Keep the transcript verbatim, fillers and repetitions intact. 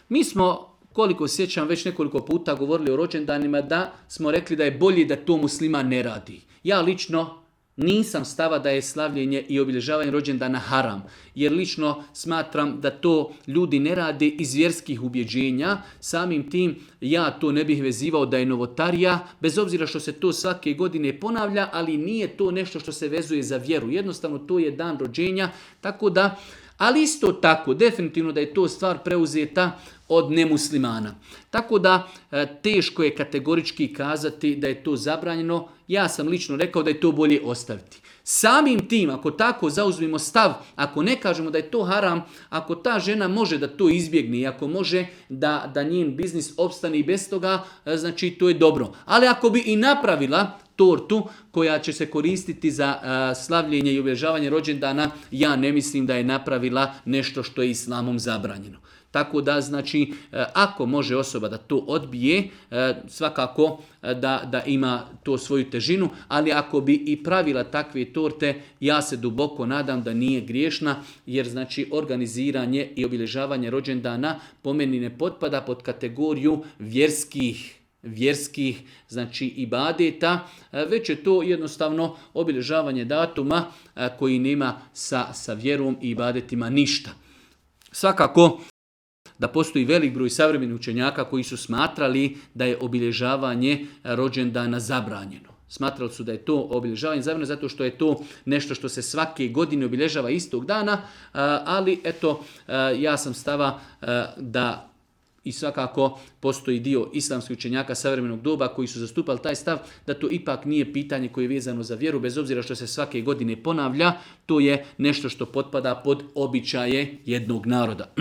Mi smo, koliko sjećam, već nekoliko puta govorili o rođendanima da smo rekli da je bolje da to musliman ne radi. Ja lično nisam stava da je slavljenje i obilježavanje rođendana haram, jer lično smatram da to ljudi ne rade iz vjerskih ubjeđenja, samim tim ja to ne bih vezivao da je novotarija, bez obzira što se to svake godine ponavlja, ali nije to nešto što se vezuje za vjeru, jednostavno to je dan rođenja, tako da, ali isto tako, definitivno da je to stvar preuzeta od nemuslimana. Tako da teško je kategorički kazati da je to zabranjeno. Ja sam lično rekao da je to bolje ostaviti. Samim tim, ako tako zauzmemo stav, ako ne kažemo da je to haram, ako ta žena može da to izbjegne i ako može da, da njen biznis opstane i bez toga, znači to je dobro. Ali ako bi i napravila tortu koja će se koristiti za uh, slavljenje i obilježavanje rođendana, ja ne mislim da je napravila nešto što je islamom zabranjeno. Tako da, znači, ako može osoba da to odbije, svakako da, da ima to svoju težinu, ali ako bi i pravila takve torte, ja se duboko nadam da nije griješna, jer znači organiziranje i obilježavanje rođendana po meni ne potpada pod kategoriju vjerskih vjerskih, znači ibadeta, već je to jednostavno obilježavanje datuma koji nema sa, sa vjerom i ibadetima ništa. Svakako da postoji velik broj savremenih učenjaka koji su smatrali da je obilježavanje rođendana zabranjeno. Smatrali su da je to obilježavanje zabranjeno zato što je to nešto što se svake godine obilježava istog dana, ali eto, ja sam stava da i svakako postoji dio islamskih učenjaka savremenog doba koji su zastupali taj stav da to ipak nije pitanje koje je vezano za vjeru, bez obzira što se svake godine ponavlja, to je nešto što potpada pod običaje jednog naroda.